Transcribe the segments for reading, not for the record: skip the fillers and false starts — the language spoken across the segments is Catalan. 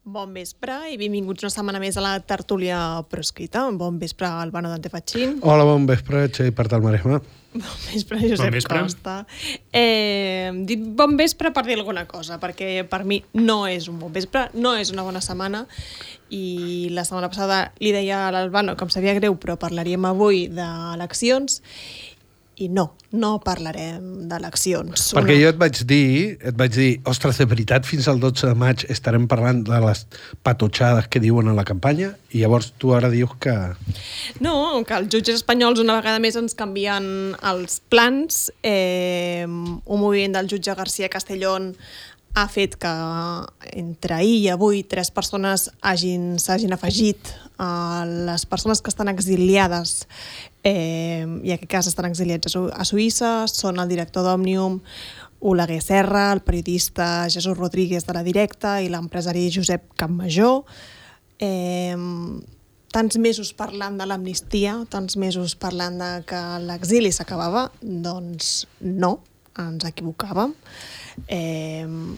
Bon vespre i benvinguts una setmana més a la tertúlia proscrita. Bon vespre, Albano Dante Fachin. Hola, bon vespre, Txell Partal Maresma. Bon vespre, Josep Costa. Dic bon vespre per dir alguna cosa, perquè per mi no és un bon vespre, no és una bona setmana, i la setmana passada li deia a l'Albano que em sabia greu, però parlaríem avui d'eleccions, i no parlarem d'eleccions. Perquè jo et vaig dir, ostres, de veritat, fins al 12 de maig estarem parlant de les patotxades que diuen a la campanya, i llavors tu ara dius que... No, que els jutges espanyols una vegada més ens canvien els plans. Un moviment del jutge García Castellón ha fet que entre ahir i avui 3 persones s'hagin afegit a les persones que estan exiliades, i en aquest cas estan exiliats a Suïssa. Són el director d'Òmnium, Oleguer Serra, el periodista Jesús Rodríguez de La Directa i l'empresari Josep Campmajor. Tants mesos parlant de l'amnistia, tants mesos parlant de que l'exili s'acabava, doncs no, ens equivocàvem.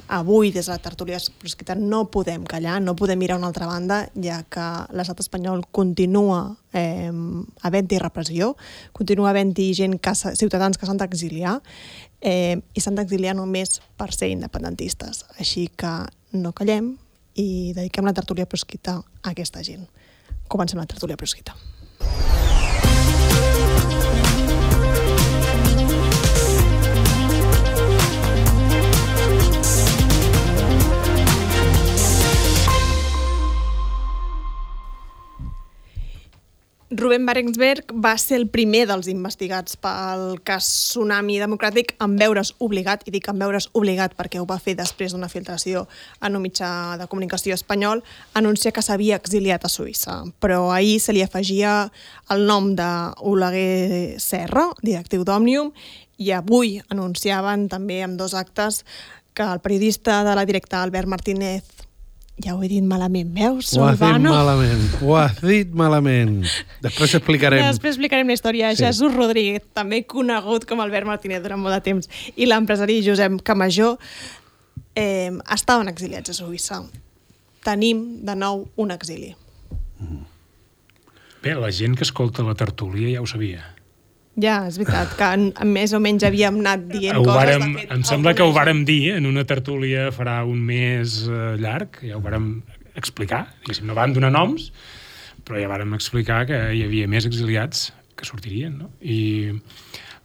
Avui des de la tertúlia proscrita no podem callar, no podem mirar a una altra banda, ja que l'estat espanyol continua havent-hi repressió, continua havent-hi ciutadans que s'han d'exiliar, i s'han d'exiliar només per ser independentistes. Així que no callem i dediquem la tertúlia proscrita a aquesta gent. Comencem la tertúlia proscrita. Rubén Barensberg va ser el primer dels investigats pel cas Tsunami Democràtic en veure's obligat, i dic en veure's obligat perquè ho va fer després d'una filtració en un mitjà de comunicació espanyol, anunciar que s'havia exiliat a Suïssa. Però ahir se li afegia el nom d'Oleguer Serra, directiu d'Òmnium, i avui anunciaven també amb 2 actes que el periodista de La Directa, Albert Martínez, ja ho he dit malament, veus? Ho has dit malament. Després explicarem la història. Sí. Jesús Rodríguez, també conegut com Albert Martínez durant molt de temps, i l'empresari Josep Campmajor estaven exiliats a Suïssa. Tenim de nou un exili. Bé, la gent que escolta la tertúlia ja ho sabia. Ja, és veritat, que més o menys havíem anat dient coses. Em sembla que ho vàrem dir en una tertúlia farà un mes llarg, ja ho vàrem explicar, no vam donar noms, però ja vàrem explicar que hi havia més exiliats que sortirien, no? I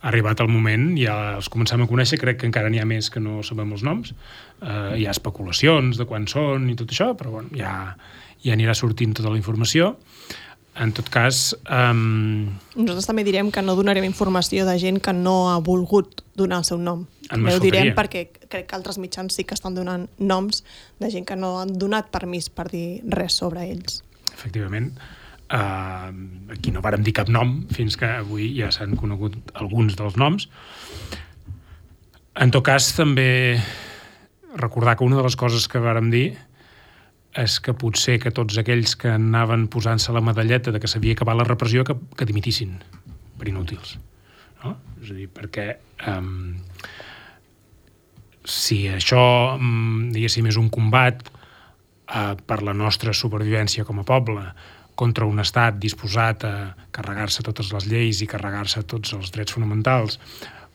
ha arribat el moment, ja els comencem a conèixer, crec que encara n'hi ha més que no sabem els noms, hi ha especulacions de quan són i tot això, però bueno, ja anirà sortint tota la informació. En tot cas... Nosaltres també direm que no donarem informació de gent que no ha volgut donar el seu nom. Ho direm perquè crec que altres mitjans sí que estan donant noms de gent que no han donat permís per dir res sobre ells. Efectivament. Aquí no vàrem dir cap nom, fins que avui ja s'han conegut alguns dels noms. En tot cas, també recordar que una de les coses que vàrem dir és que potser que tots aquells que anaven posant-se la medalleta de que s'havia acabat la repressió que dimitissin per inútils, no? És a dir, perquè si això, diguéssim, és un combat per la nostra supervivència com a poble contra un estat disposat a carregar-se totes les lleis i carregar-se tots els drets fonamentals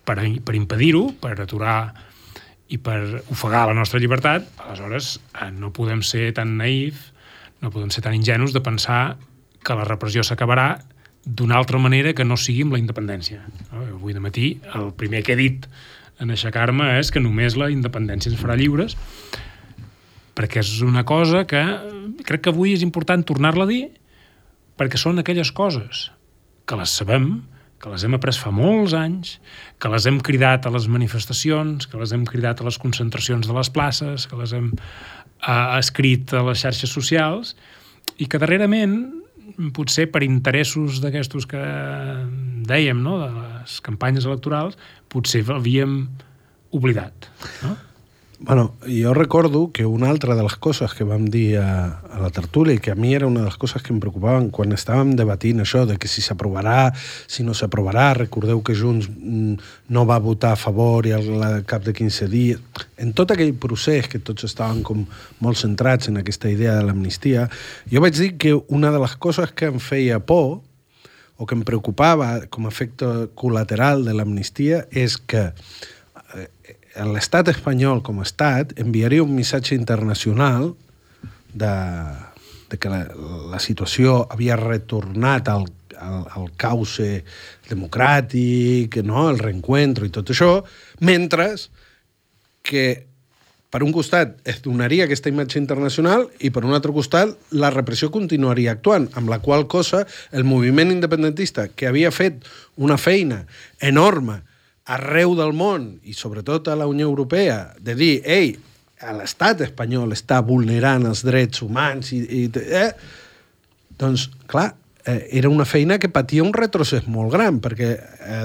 per impedir-ho, per aturar i per ofegar la nostra llibertat, aleshores no podem ser tan naïfs, no podem ser tan ingenus de pensar que la repressió s'acabarà d'una altra manera que no sigui amb la independència. Avui de matí el primer que he dit en aixecar-me és que només la independència ens farà lliures, perquè és una cosa que crec que avui és important tornar-la a dir, perquè són aquelles coses que les sabem, que les hem après fa molts anys, que les hem cridat a les manifestacions, que les hem cridat a les concentracions de les places, que les hem escrit a les xarxes socials, i que darrerament, potser per interessos d'aquestos que dèiem, no?, de les campanyes electorals, potser l'havíem oblidat, no? Bueno, jo recordo que una altra de les coses que vam dir a la tertúlia i que a mi era una de les coses que em preocupaven quan estàvem debatint això de que si s'aprovarà, si no s'aprovarà, recordeu que Junts no va votar a favor i al cap de 15 dies, en tot aquell procés que tots estaven com molt centrats en aquesta idea de l'amnistia, jo vaig dir que una de les coses que em feia por o que em preocupava com a efecte col·lateral de l'amnistia és que l'estat espanyol com a estat enviaria un missatge internacional de que la situació havia retornat al cauce democràtic, no? El reencuentro i tot això, mentre que per un costat es donaria aquesta imatge internacional i per un altre costat la repressió continuaria actuant, amb la qual cosa el moviment independentista, que havia fet una feina enorme arreu del món, i sobretot a la Unió Europea, de dir, ei, l'estat espanyol està vulnerant els drets humans, doncs, clar, era una feina que patia un retrocés molt gran, perquè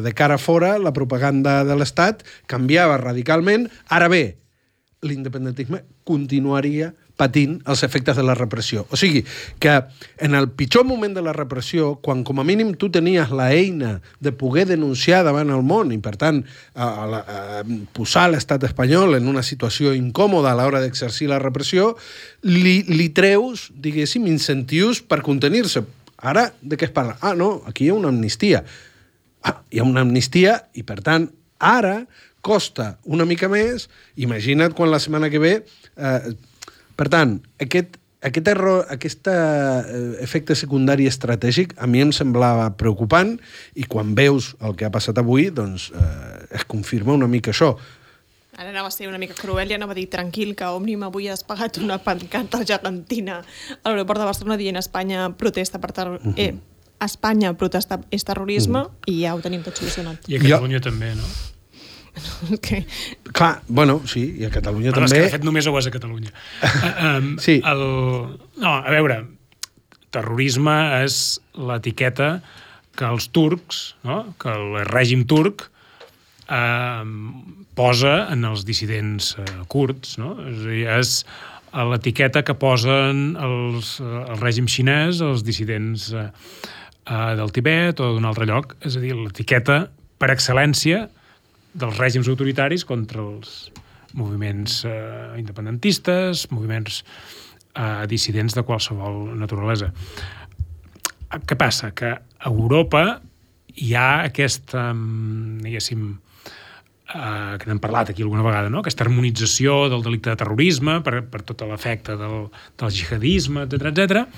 de cara a fora la propaganda de l'estat canviava radicalment. Ara bé, l'independentisme continuaria patint els efectes de la repressió. O sigui, que en el pitjor moment de la repressió, quan com a mínim tu tenies la eina de poder denunciar davant el món i, per tant, posar l'estat espanyol en una situació incòmoda a l'hora d'exercir la repressió, li treus, diguéssim, incentius per contenir-se. Ara, de què es parla? Ah, no, aquí hi ha una amnistia. Ah, hi ha una amnistia i, per tant, ara costa una mica més. Imagina't quan la setmana que ve... Per tant, aquest efecte secundari estratègic a mi em semblava preocupant i quan veus el que ha passat avui, doncs es confirma una mica això. Ara anava a ser una mica cruel i anava a dir tranquil que Òmnium avui has pagat una pancarta gegantina a l'aeroport de Barcelona dient Espanya protesta per Espanya protesta és terrorisme i ja ho tenim tot solucionat. I a Catalunya també, no? Okay. Clar, bueno, sí, i a Catalunya també... És que de fet només ho és a Catalunya. Sí. No, a veure, terrorisme és l'etiqueta que els turcs, no? Que el règim turc posa en els dissidents kurds, no? És a dir, és l'etiqueta que posen el règim xinès als dissidents del Tibet o d'un altre lloc. És a dir, l'etiqueta per excel·lència dels règims autoritaris contra els moviments independentistes, moviments dissidents de qualsevol naturalesa. Què passa? Que a Europa hi ha aquesta, diguéssim, que n'hem parlat aquí alguna vegada, no? Aquesta harmonització del delicte de terrorisme per tot l'efecte del jihadisme, etc,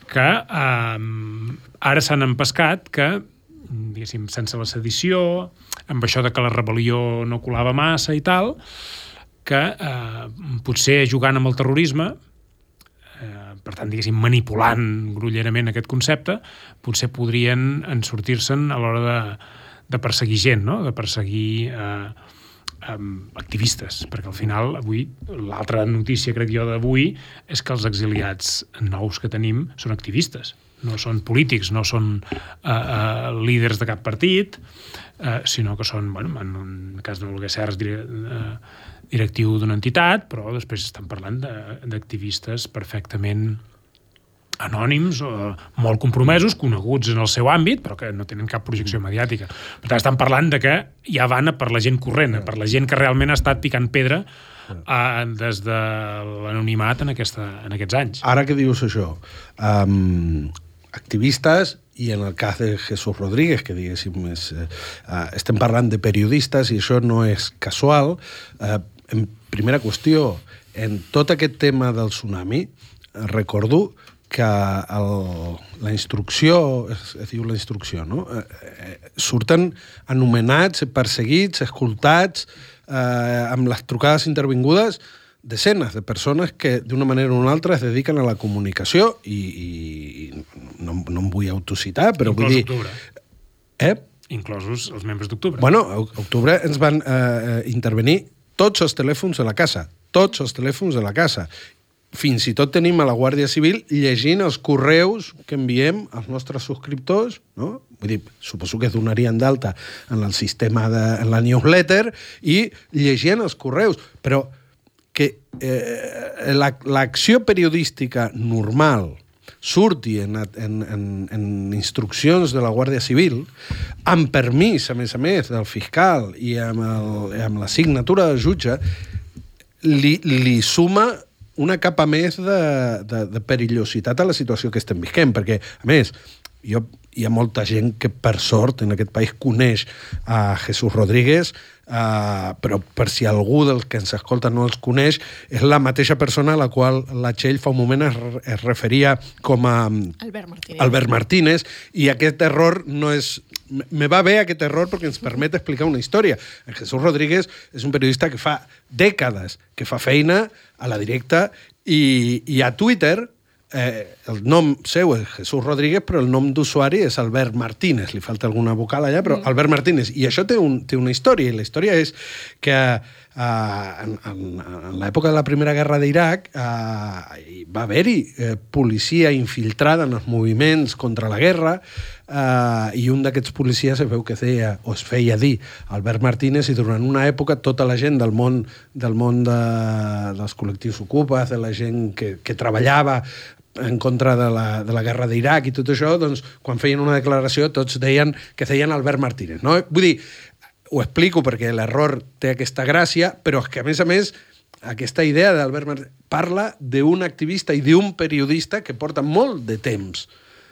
que ara s'han empescat que, diguéssim, sense la sedició, amb això de que la rebel·lió no colava massa i tal, que potser jugant amb el terrorisme, per tant, diguéssim, manipulant grollerament aquest concepte, potser podrien sortir-se'n a l'hora de perseguir gent, no? De perseguir activistes, perquè al final avui l'altra notícia, crec jo, d'avui és que els exiliats nous que tenim són activistes, no són polítics, no són líders de cap partit, sinó que són, bueno, en el cas de Volguer Serres, directiu d'una entitat, però després estan parlant d'activistes perfectament anònims, molt compromesos, coneguts en el seu àmbit, però que no tenen cap projecció mediàtica. Per tant, estan parlant de que ja van per la gent corrent, per la gent que realment ha estat picant pedra des de l'anonimat en aquests anys. Ara que dius això, activistes, i en el cas de Jesús Rodríguez, que diguéssim, estem parlant de periodistes i això no és casual. En primera qüestió, en tot aquest tema del tsunami, recordo que la instrucció, es diu la instrucció, no? Surten anomenats, perseguits, escoltats, amb les trucades intervingudes, desenes de persones que d'una manera o una altra es dediquen a la comunicació i no em vull autocitar, però vull dir... Octubre. Inclosos els membres d'Octubre. Bueno, a Octubre ens van intervenir tots els telèfons de la casa, tots els telèfons de la casa. Fins i tot tenim a la Guàrdia Civil llegint els correus que enviem als nostres subscriptors, no? Vull dir, suposo que es donarien d'alta en el sistema en la newsletter i llegint els correus. Però que l'acció periodística normal surti en instruccions de la Guàrdia Civil, amb permís, a més, del fiscal i amb la signatura del jutge, li suma una capa més de perillositat a la situació que estem visquent, perquè, a més, hi ha molta gent que, per sort, en aquest país coneix a Jesús Rodríguez, però per si algú dels que ens escolta no els coneix, és la mateixa persona a la qual la Txell fa un moment es referia com a Albert Martínez, i aquest error no és... Me va bé aquest error perquè ens permet explicar una història. El Jesús Rodríguez és un periodista que fa dècades que fa feina a la Directa i a Twitter el nom seu és Jesús Rodríguez, però el nom d'usuari és Albert Martínez. Li falta alguna vocal allà, però Albert Martínez. I això té una història, i la història és que en l'època de la Primera Guerra d'Iraq va haver-hi policia infiltrada en els moviments contra la guerra, i un d'aquests policies es veu que es feia dir Albert Martínez, i durant una època tota la gent del món dels col·lectius ocupes, de la gent que treballava en contra de la guerra d'Iraq i tot això, doncs, quan feien una declaració tots deien que feien Albert Martínez, no? Vull dir, ho explico perquè l'error té aquesta gràcia, però és que, a més, aquesta idea d'Albert Martínez parla d'un activista i d'un periodista que porta molt de temps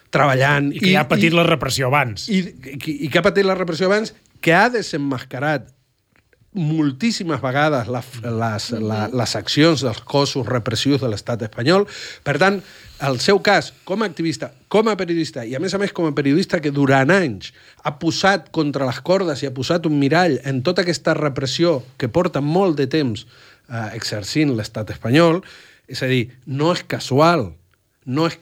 treballant. I que ja ha patit la repressió abans. I que ha patit la repressió abans, que ha desemmascarat moltíssimes vegades les accions dels cossos repressius de l'estat espanyol. Per tant, el seu cas, com a activista, com a periodista, i a més com a periodista que durant anys ha posat contra les cordes i ha posat un mirall en tota aquesta repressió que porta molt de temps exercint l'estat espanyol, és a dir, no és casual, no és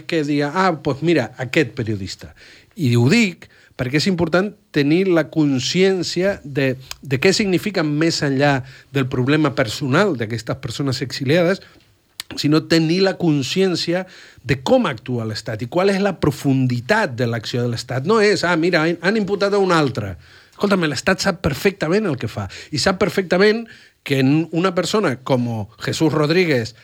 que diga, doncs mira, aquest periodista. I ho dic perquè és important tenir la consciència de què significa més enllà del problema personal d'aquestes persones exiliades, sinó tenir la consciència de com actua l'Estat i qual és la profunditat de l'acció de l'Estat. No és, mira, han imputat a un altre. Escolta'm, l'Estat sap perfectament el que fa, i sap perfectament que una persona com Jesús Rodríguez,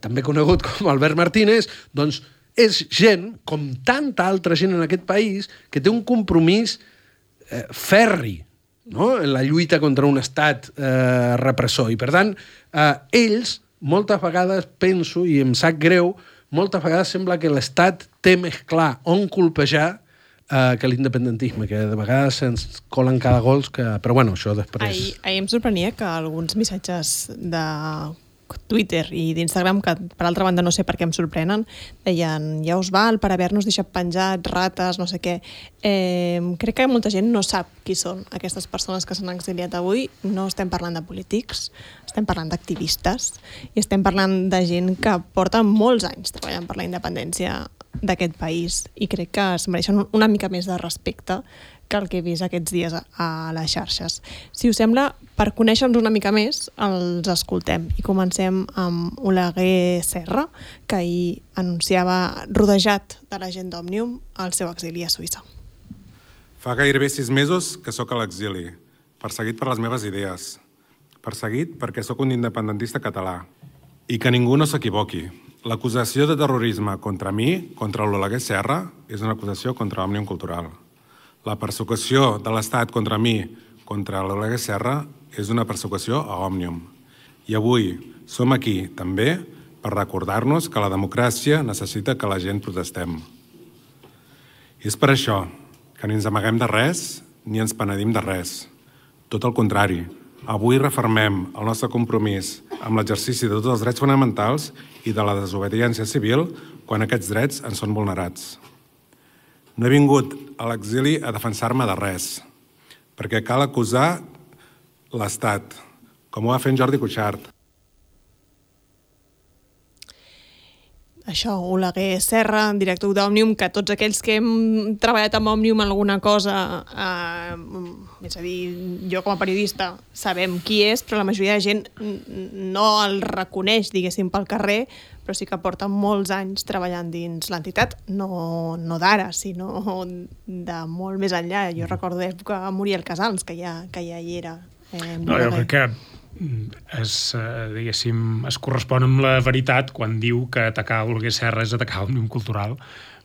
també conegut com Albert Martínez, doncs és gent, com tanta altra gent en aquest país, que té un compromís ferri, no?, en la lluita contra un estat repressor. I, per tant, ells, moltes vegades penso, i em sap greu, moltes vegades sembla que l'Estat té més clar on colpejar que l'independentisme, que de vegades se'ns colen cada gols, però bueno, això després... Ahir em sorprenia que alguns missatges de Twitter i d'Instagram, que per altra banda no sé per què em sorprenen, deien, ja us val per haver-nos deixat penjats, rates, no sé què. Crec que molta gent no sap qui són aquestes persones que s'han exiliat avui. No estem parlant de polítics, estem parlant d'activistes i estem parlant de gent que porta molts anys treballant per la independència d'aquest país, i crec que es mereixen una mica més de respecte que el que he vist aquests dies a les xarxes. Si us sembla, per conèixer-nos una mica més, els escoltem. I comencem amb Oleguer Serra, que ahir anunciava, rodejat de la gent d'Òmnium, el seu exili a Suïssa. Fa gairebé 6 mesos que sóc a l'exili, perseguit per les meves idees, perseguit perquè sóc un independentista català. I que ningú no s'equivoqui. L'acusació de terrorisme contra mi, contra l'Oleguer Serra, és una acusació contra Òmnium Cultural. La persecució de l'Estat contra mi, contra l'Oleguer Serra, és una persecució a Òmnium. I avui som aquí, també, per recordar-nos que la democràcia necessita que la gent protestem. I és per això que ni ens amaguem de res ni ens penedim de res. Tot el contrari, avui refermem el nostre compromís amb l'exercici de tots els drets fonamentals i de la desobediència civil quan aquests drets ens són vulnerats. No he vingut a l'exili a defensar-me de res, perquè cal acusar l'Estat, com ho va fer en Jordi Cuixart. Això, Oleguer Serra, director d'Òmnium, que tots aquells que hem treballat amb Òmnium en alguna cosa, és a dir, jo com a periodista sabem qui és, però la majoria de gent no el reconeix, diguéssim, pel carrer, però sí que porta molts anys treballant dins l'entitat, no d'ara, sinó de molt més enllà. Jo recordo l'època de Muriel Casals, que ja hi era. No, jo crec que es correspon amb la veritat quan diu que atacar Oleguer Serra és atacar Òmnium Cultural,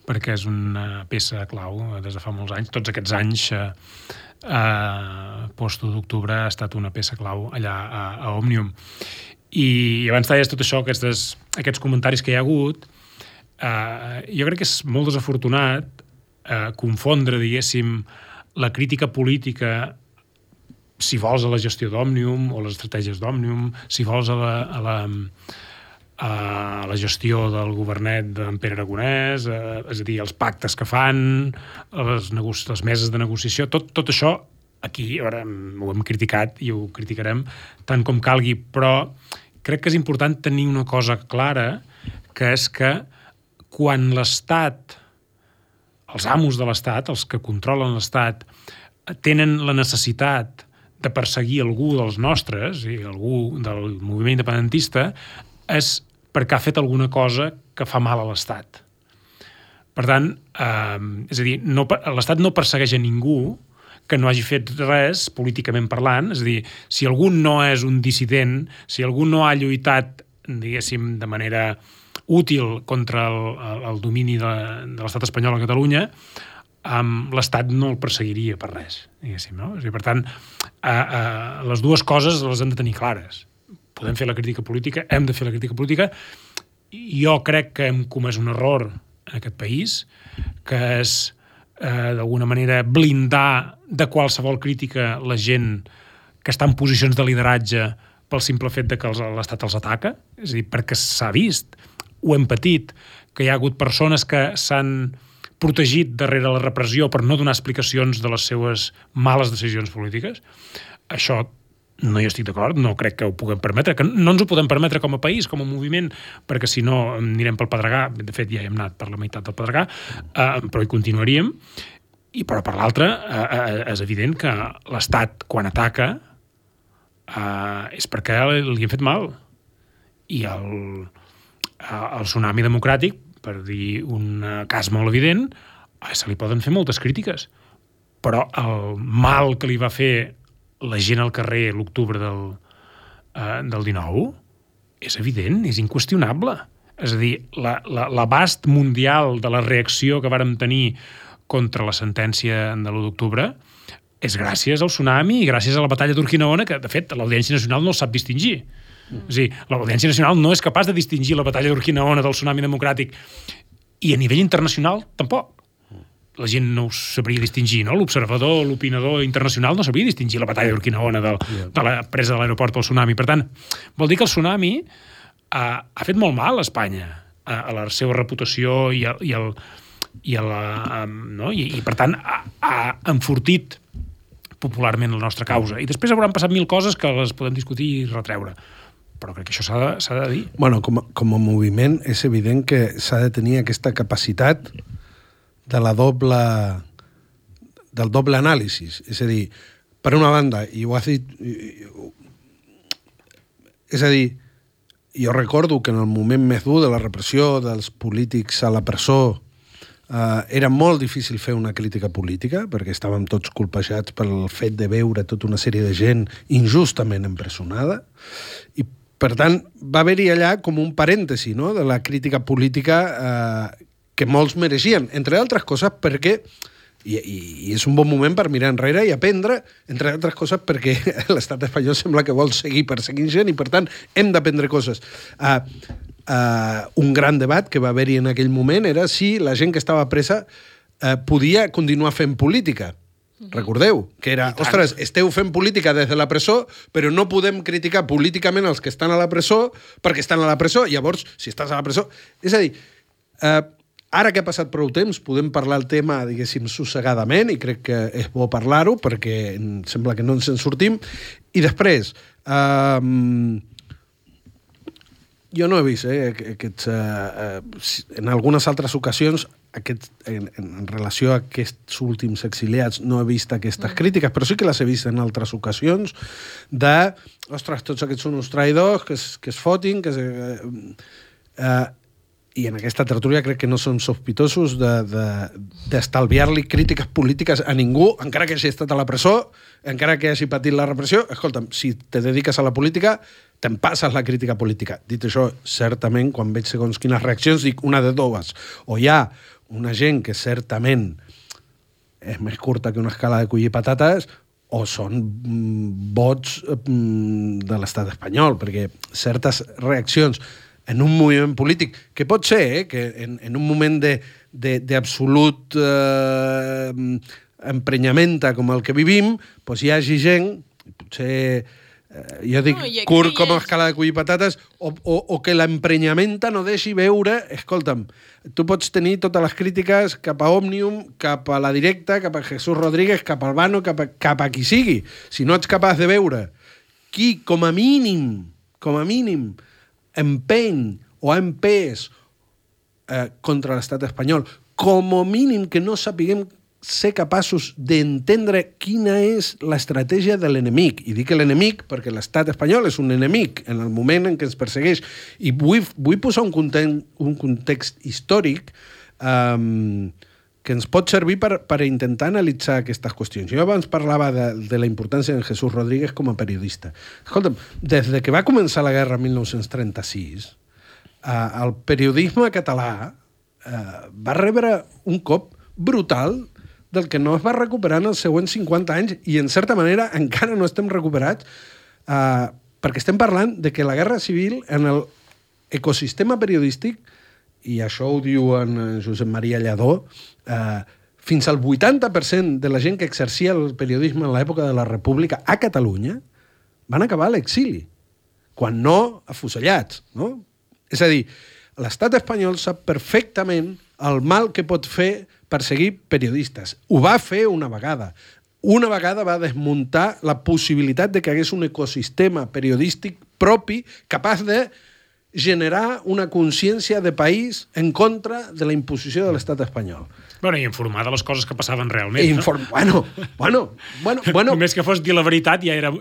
perquè és una peça clau des de fa molts anys. Tots aquests anys post-1 d'octubre ha estat una peça clau allà a Òmnium. I abans deies tot això, aquests comentaris que hi ha hagut, jo crec que és molt desafortunat confondre, diguéssim, la crítica política, si vols, a la gestió d'Òmnium o les estratègies d'Òmnium, si vols a la gestió del governet d'en Pere Aragonès, és a dir, els pactes que fan, les meses de negociació, tot això aquí ara ho hem criticat i ho criticarem tant com calgui, però crec que és important tenir una cosa clara, que és que quan l'Estat, els amos de l'Estat, els que controlen l'Estat, tenen la necessitat de perseguir algú dels nostres, i algú del moviment independentista, és perquè ha fet alguna cosa que fa mal a l'Estat. Per tant, és a dir, l'Estat no persegueix a ningú que no hagi fet res políticament parlant, és a dir, si algú no és un dissident, si algú no ha lluitat, diguéssim, de manera útil contra el domini de l'Estat espanyol a Catalunya, l'Estat no el perseguiria per res, diguéssim, no? És a dir, per tant, les dues coses les hem de tenir clares. Podem fer la crítica política, hem de fer la crítica política. Jo crec que hem comès un error en aquest país, que és, d'alguna manera, blindar de qualsevol crítica la gent que està en posicions de lideratge pel simple fet de que l'Estat els ataca. És a dir, perquè s'ha vist, ho hem patit, que hi ha hagut persones que s'han protegit darrere la repressió per no donar explicacions de les seues males decisions polítiques. Això no hi estic d'acord, no crec que ho puguem permetre, que no ens ho podem permetre com a país, com a moviment, perquè si no anirem pel Pedregà, de fet ja hem anat per la meitat del Pedregà, però hi continuaríem, però per l'altra és evident que l'Estat quan ataca és perquè li han fet mal, i el tsunami democràtic, per dir un cas molt evident, se li poden fer moltes crítiques, però el mal que li va fer la gent al carrer l'octubre del 19 és evident, és inqüestionable. És a dir, l'abast mundial de la reacció que vàrem tenir contra la sentència de l'1 d'octubre és gràcies al tsunami i gràcies a la batalla d'Urquinaona, que, de fet, l'Audiència Nacional no el sap distingir. És a dir, l'Audiència Nacional no és capaç de distingir la batalla d'Urquinaona del tsunami democràtic, i a nivell internacional tampoc. La gent no ho sabria distingir, no? L'observador, l'opinador internacional no sabria distingir la batalla d'Urquinaona de la presa de l'aeroport pel tsunami. Per tant, vol dir que el tsunami ha fet molt mal a Espanya, a la seva reputació i per tant ha enfortit popularment la nostra causa. I després hauran passat 1000 coses que les podem discutir i retreure. Però crec que això s'ha de dir. Bueno, com a moviment és evident que s'ha de tenir aquesta capacitat del doble anàlisi. És a dir, per una banda, i ho has dit... És a dir, jo recordo que en el moment més dur de la repressió dels polítics a la presó era molt difícil fer una crítica política, perquè estàvem tots colpejats pel fet de veure tota una sèrie de gent injustament empresonada, i per tant va haver-hi allà com un parèntesi, no?, de la crítica política que molts mereixien, entre altres coses perquè, i és un bon moment per mirar enrere i aprendre, entre altres coses perquè l'estat espanyol sembla que vol seguir perseguint gent i per tant hem d'aprendre coses. Un gran debat que va haver-hi en aquell moment era si la gent que estava presa podia continuar fent política. Recordeu, que era, ostres, esteu fent política des de la presó, però no podem criticar políticament els que estan a la presó perquè estan a la presó. Llavors, si estàs a la presó... És a dir, ara que ha passat prou temps, podem parlar el tema, diguéssim, sossegadament, i crec que és bo parlar-ho, perquè sembla que no ens en sortim. I després, jo no he vist en algunes altres ocasions en relació a aquests últims exiliats no he vist aquestes crítiques, però sí que les he vist en altres ocasions de, ostres, tots aquests són uns traïdors que es fotin, i en aquesta tertúlia crec que no som sospitosos d'estalviar-li crítiques polítiques a ningú, encara que hagi estat a la presó, encara que hagi patit la repressió. Escolta'm, si te dediques a la política, te'n passes la crítica política. Dit això, certament, quan veig segons quines reaccions, dic una de dues. O hi ha una gent que certament és més curta que una escala de collir patates, o són vots de l'estat espanyol, perquè certes reaccions en un moviment polític, que pot ser que en un moment d'absolut emprenyamenta com el que vivim, doncs hi hagi gent, potser jo dic curt com a escala de collir patates, o que l'emprenyamenta no deixi veure, escolta'm, tu pots tenir totes les crítiques cap a Òmnium, cap a La Directa, cap a Jesús Rodríguez, cap a Albano, cap a qui sigui. Si no ets capaç de veure qui, com a mínim, empeny o ha empès contra l'estat espanyol, com a mínim que no sapiguem ser capaços d'entendre quina és l'estratègia de l'enemic. I dic l'enemic perquè l'estat espanyol és un enemic en el moment en què ens persegueix. I vull posar un context històric que ens pot servir per intentar analitzar aquestes qüestions. Jo abans parlava de la importància de Jesús Rodríguez com a periodista. Escolta'm, des que va començar la guerra en 1936, el periodisme català va rebre un cop brutal del que no es va recuperar en els següents 50 anys i, en certa manera, encara no estem recuperats perquè estem parlant de que la guerra civil en l'ecosistema periodístic, i això ho diu en Josep Maria Lladó, fins al 80% de la gent que exercia el periodisme en l'època de la República a Catalunya van acabar a l'exili, quan no afusellats, no? És a dir, l'estat espanyol sap perfectament el mal que pot fer perseguir periodistes. Ho va fer una vegada. Una vegada va desmuntar la possibilitat de que hi hagués un ecosistema periodístic propi capaç de generar una consciència de país en contra de la imposició de l'estat espanyol. Bueno, i informar de les coses que passaven realment. Bueno. Només que fos dir la veritat ja era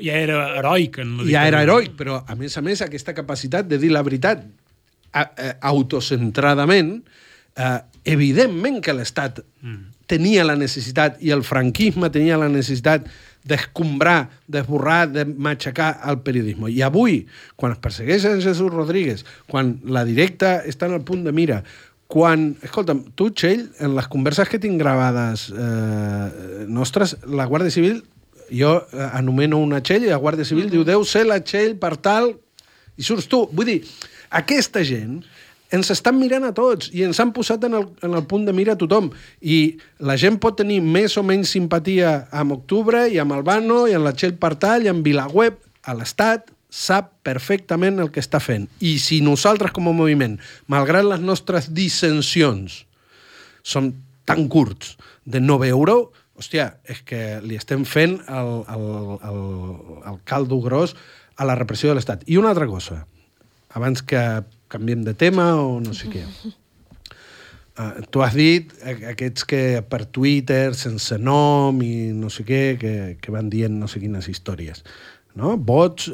heroic. Ja era heroic, però a més, aquesta capacitat de dir la veritat autocentradament, evidentment que l'Estat tenia la necessitat, i el franquisme tenia la necessitat d'escombrar, d'esborrar, de matxacar el periodisme. I avui, quan es persegueix a Jesús Rodríguez, quan La Directa està en el punt de mira, quan... Escolta'm, tu, Txell, en les converses que tinc gravades nostres, la Guàrdia Civil, jo anomeno una Txell i la Guàrdia Civil diu, deu ser la Txell per tal, i surts tu. Vull dir, aquesta gent ens estan mirant a tots i ens han posat en el punt de mira a tothom. I la gent pot tenir més o menys simpatia amb Octubre i amb Albano i amb la Txell Partal i amb Vilaweb. A l'Estat sap perfectament el que està fent. I si nosaltres com a moviment, malgrat les nostres dissensions, som tan curts de no veure-ho, hòstia, és que li estem fent el caldo gros a la repressió de l'Estat. I una altra cosa, abans que canviem de tema o no sé què. Tu has dit aquests que per Twitter, sense nom i no sé què, que van dient no sé quines històries. No? Vots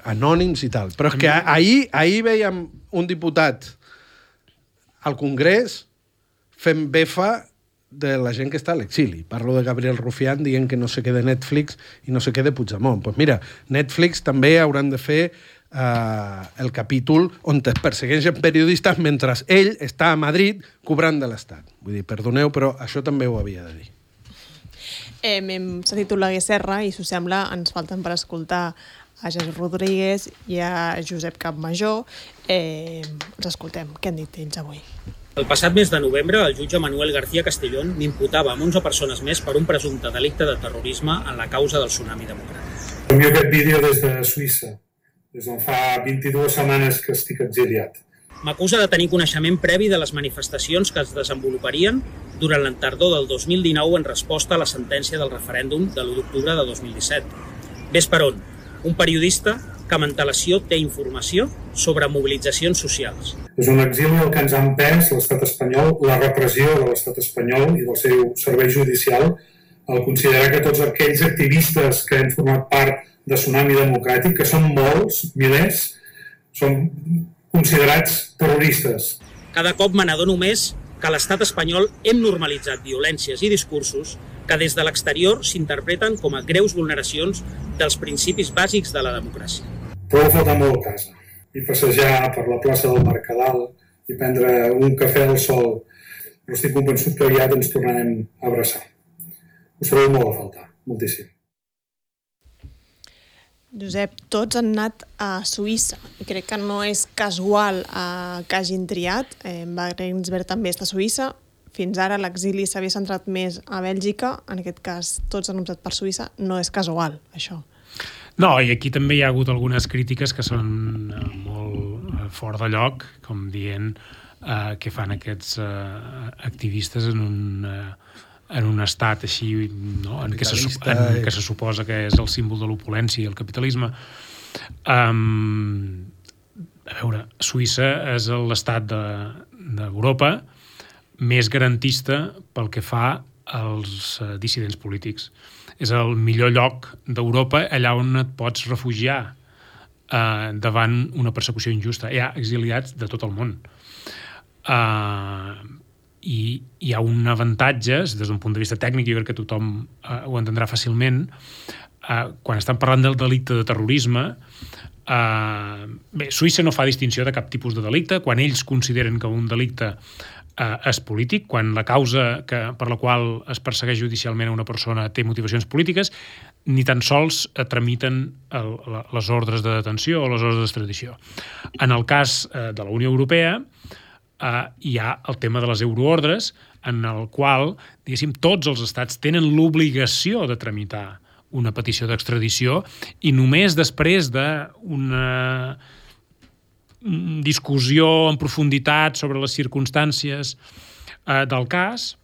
anònims i tal. Però és que ahir veiem un diputat al Congrés fent befa de la gent que està a l'exili. Parlo de Gabriel Rufián dient que no sé què de Netflix i no sé què de Puigdemont. Doncs mira, Netflix també hauran de fer el capítol on es persegueixen periodistes mentre ell està a Madrid cobrant de l'Estat. Vull dir, perdoneu, però això també ho havia de dir. Hem sentit Oleguer Serra i, si us sembla, ens falten per escoltar a Jesús Rodríguez i a Josep Campmajor. Els escoltem. Què han dit ells avui? El passat mes de novembre, el jutge Manuel García Castellón m'imputava amb 11 persones més per un presumpte delicte de terrorisme en la causa del tsunami democràtic. Envio aquest vídeo des de Suïssa. Des d'on fa 22 setmanes que estic exiliat. M'acusa de tenir coneixement previ de les manifestacions que es desenvoluparien durant la tardor del 2019 en resposta a la sentència del referèndum de l'1 d'octubre de 2017. Ves per on? Un periodista que amb antelació té informació sobre mobilitzacions socials. És un exili el que ens ha empès l'estat espanyol, la repressió de l'estat espanyol i del seu servei judicial, al considerar que tots aquells activistes que han format part de Tsunami Democràtic, que són molts, milers, són considerats terroristes. Cada cop me n'adono més que a l'estat espanyol hem normalitzat violències i discursos que des de l'exterior s'interpreten com a greus vulneracions dels principis bàsics de la democràcia. Prou faltar molt a casa i passejar per la plaça del Mercadal i prendre un cafè al sol, però estic convençut que aviat ens tornarem a abraçar. Us trobeu molt a faltar, moltíssim. Josep, tots han anat a Suïssa i crec que no és casual que hagin triat. Wagensberg també està a Suïssa. Fins ara l'exili s'havia centrat més a Bèlgica. En aquest cas, tots han optat per Suïssa. No és casual, això. No, i aquí també hi ha hagut algunes crítiques que són molt fora de lloc, com dient que fan aquests activistes en un estat així, no? en què se suposa que és el símbol de l'opulència i el capitalisme. A veure, Suïssa és l'estat d'Europa més garantista pel que fa als dissidents polítics. És el millor lloc d'Europa allà on et pots refugiar davant una persecució injusta. Hi ha exiliats de tot el món. I hi ha un avantatge, des d'un punt de vista tècnic, jo crec que tothom ho entendrà fàcilment, quan estan parlant del delicte de terrorisme, Suïssa no fa distinció de cap tipus de delicte, quan ells consideren que un delicte és polític, quan la causa per la qual es persegueix judicialment a una persona té motivacions polítiques, ni tan sols tramiten les ordres de detenció o les ordres d'extradició. En el cas de la Unió Europea, hi ha el tema de les euroordres, en el qual, diguéssim, tots els estats tenen l'obligació de tramitar una petició d'extradició i només després d'una discussió en profunditat sobre les circumstàncies del cas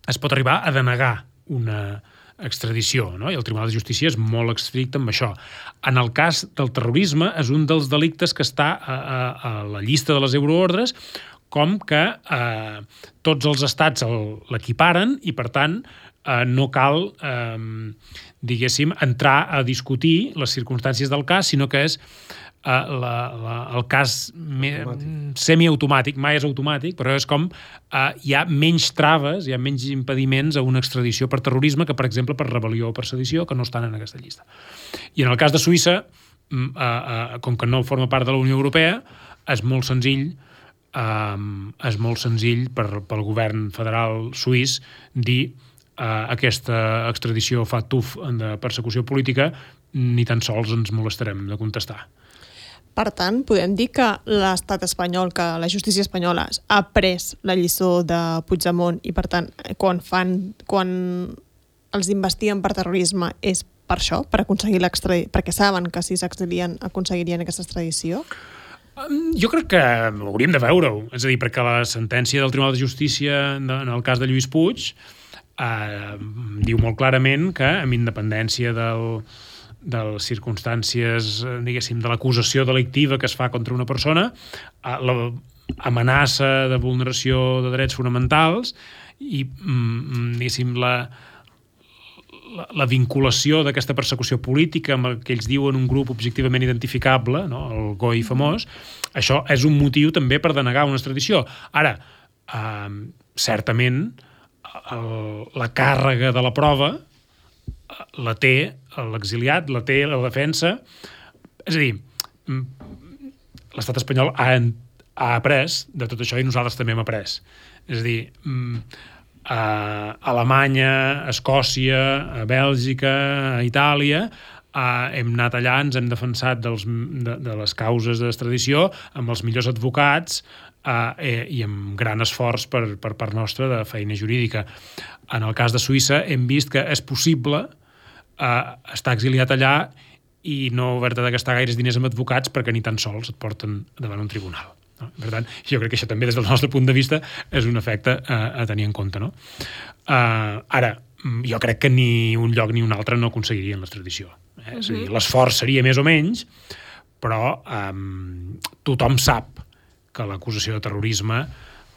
es pot arribar a denegar una extradició, no? I el Tribunal de Justícia és molt estricte amb això. En el cas del terrorisme és un dels delictes que està a la llista de les euroordres, com que tots els estats l'equiparen i, per tant, no cal, diguéssim, entrar a discutir les circumstàncies del cas, sinó que és el cas semiautomàtic, mai és automàtic, però és com hi ha menys traves, hi ha menys impediments a una extradició per terrorisme que, per exemple, per rebel·lió o per sedició, que no estan en aquesta llista. I en el cas de Suïssa, com que no forma part de la Unió Europea, és molt senzill pel govern federal suís dir aquesta extradició fa tuf de persecució política, ni tan sols ens molestarem de contestar. Per tant, podem dir que l'estat espanyol, que la justícia espanyola ha pres la lliçó de Puigdemont i, per tant, quan els investiguen per terrorisme és per això, per aconseguir l'extradició, perquè saben que si s'exilien aconseguirien aquesta extradició? Jo crec que hauríem de veure-ho. És a dir, perquè la sentència del Tribunal de Justícia en el cas de Lluís Puig diu molt clarament que, amb independència de les circumstàncies, diguéssim, de l'acusació delictiva que es fa contra una persona, l'amenaça de vulneració de drets fonamentals i, diguéssim, la vinculació d'aquesta persecució política amb el que ells diuen un grup objectivament identificable, no? El GOI famós, això és un motiu també per denegar una extradició. Ara, certament, la càrrega de la prova la té l'exiliat, la té la defensa. És a dir, l'estat espanyol ha après de tot això i nosaltres també hem après. És a dir, a Alemanya, a Escòcia, a Bèlgica, a Itàlia, hem anat allà, ens hem defensat de les causes d'extradició amb els millors advocats i amb gran esforç per part nostra de feina jurídica. En el cas de Suïssa hem vist que és possible estar exiliat allà i no haver-te de gastar gaires diners amb advocats perquè ni tan sols et porten davant un tribunal. Per tant, jo crec que això també des del nostre punt de vista és un efecte a tenir en compte. No? Ara, jo crec que ni un lloc ni un altre no aconseguirien l'extradició. És a dir, l'esforç seria més o menys, però tothom sap que l'acusació de terrorisme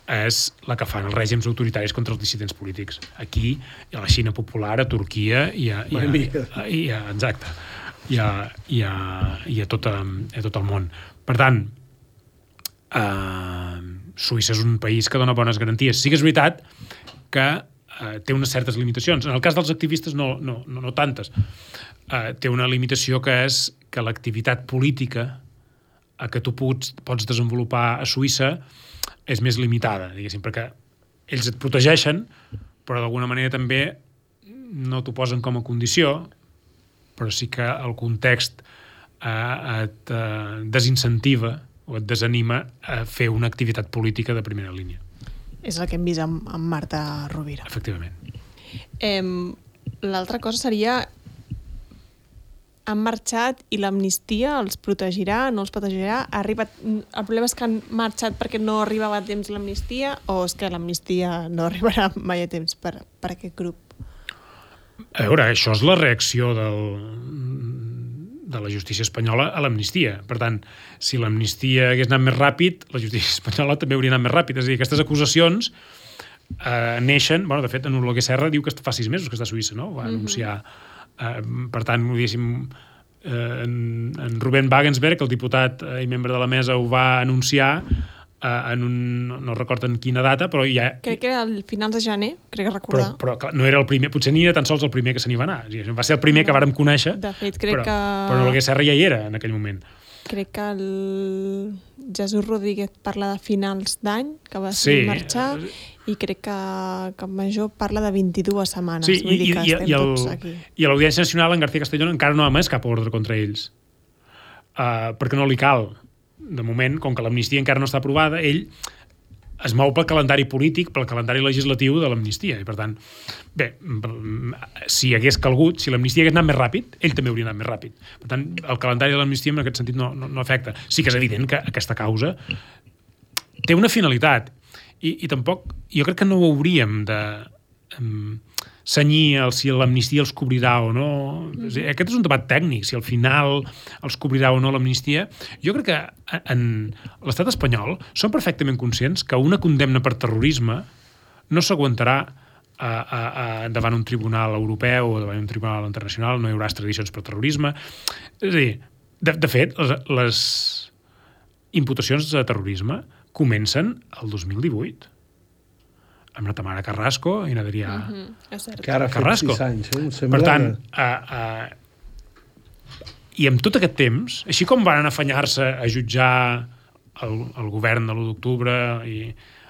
és la que fan els règims autoritaris contra els dissidents polítics. Aquí, a la Xina popular, a Turquia i a tot el món. Per tant, Suïssa és un país que dona bones garanties. Sí que és veritat que té unes certes limitacions. En el cas dels activistes no tantes. Té una limitació que és que l'activitat política que tu pots desenvolupar a Suïssa és més limitada, diguéssim, perquè ells et protegeixen, però d'alguna manera també no t'ho posen com a condició, però sí que el context et desincentiva o et desanima a fer una activitat política de primera línia. És el que hem vist amb Marta Rovira. Efectivament. L'altra cosa seria: han marxat i l'amnistia els protegirà, no els protegirà? El problema és que han marxat perquè no arribava a temps l'amnistia, o és que l'amnistia no arribarà mai a temps per aquest grup? A veure, això és la reacció de la justícia espanyola a l'amnistia. Per tant, si l'amnistia hagués anat més ràpid, la justícia espanyola també hauria anat més ràpid. És a dir, aquestes acusacions neixen... Bueno, de fet, en Oleguer Serra diu que fa 6 mesos que està a Suïssa, no? Va anunciar... per tant, diguéssim, en Ruben Wagensberg, el diputat i membre de la mesa, ho va anunciar en no recordo en quina data, però ja... Crec que era al finals de gener, crec recordar. Però clar, no era el primer, potser ni era tan sols el primer que se n'hi va anar. Va ser el primer que vàrem conèixer, de fet, crec que... però Oleguer Serra ja hi era en aquell moment. Crec que el Jesús Rodríguez parla de finals d'any, que va marxar, i crec que Major parla de 22 setmanes. Sí, vull dir que estem tots aquí. I a l'Audiència Nacional, en García Castellón encara no ha emès cap ordre contra ells. Perquè no li cal. De moment, com que l'amnistia encara no està aprovada, ell es mou pel calendari polític, pel calendari legislatiu de l'amnistia. I, per tant, bé, si hagués calgut, si l'amnistia hagués anat més ràpid, ell també hauria anat més ràpid. Per tant, el calendari de l'amnistia en aquest sentit no afecta. Sí que és evident que aquesta causa té una finalitat. I tampoc, jo crec que no ho hauríem de senyir si l'amnistia els cobrirà o no. Aquest és un debat tècnic, si al final els cobrirà o no l'amnistia. Jo crec que en l'estat espanyol són perfectament conscients que una condemna per terrorisme no s'aguantarà davant un tribunal europeu o davant un tribunal internacional, no hi haurà extradicions per terrorisme. És a dir, de fet, les imputacions de terrorisme comencen el 2018. Amb la Tamara Carrasco i n'Adrià que ara fa 6 anys. Per tant, i amb tot aquest temps, així com van afanyar-se a jutjar el govern de l'1 d'octubre i